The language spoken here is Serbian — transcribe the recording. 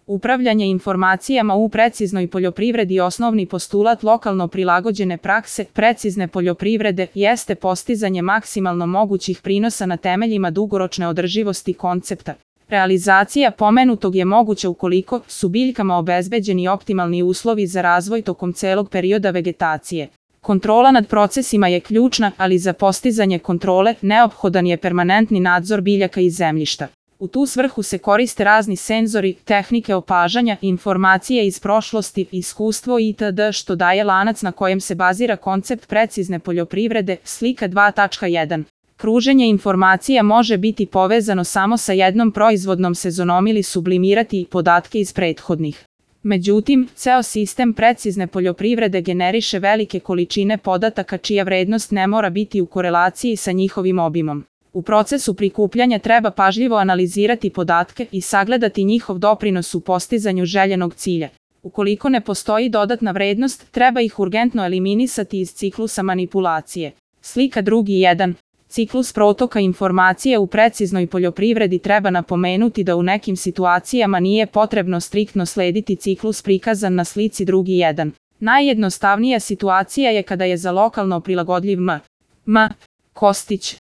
Upravljanje informacijama u preciznoj poljoprivredi. Osnovni postulat lokalno prilagođene prakse precizne poljoprivrede jeste postizanje maksimalno mogućih prinosa na temeljima dugoročne održivosti koncepta. Realizacija pomenutog je moguća ukoliko su biljkama obezbeđeni optimalni uslovi za razvoj tokom celog perioda vegetacije. Kontrola nad procesima je ključna, ali za postizanje kontrole neophodan je permanentni nadzor biljaka i zemljišta. U tu svrhu se koriste razni senzori, tehnike opažanja, informacije iz prošlosti, iskustvo itd. Što daje lanac na kojem se bazira koncept precizne poljoprivrede. Slika 2.1. Kruženje informacija može biti povezano samo sa jednom proizvodnom sezonom ili sublimirati podatke iz prethodnih. Međutim, ceo sistem precizne poljoprivrede generiše velike količine podataka čija vrednost ne mora biti u korelaciji sa njihovim obimom. U procesu prikupljanja treba pažljivo analizirati podatke i sagledati njihov doprinos u postizanju željenog cilja. Ukoliko ne postoji dodatna vrednost, treba ih urgentno eliminisati iz ciklusa manipulacije. Slika 2.1. Ciklus protoka informacije u preciznoj poljoprivredi. Treba napomenuti da u nekim situacijama nije potrebno striktno slediti ciklus prikazan na slici 2.1. Najjednostavnija situacija je kada je za lokalno prilagodljiv M. Kostić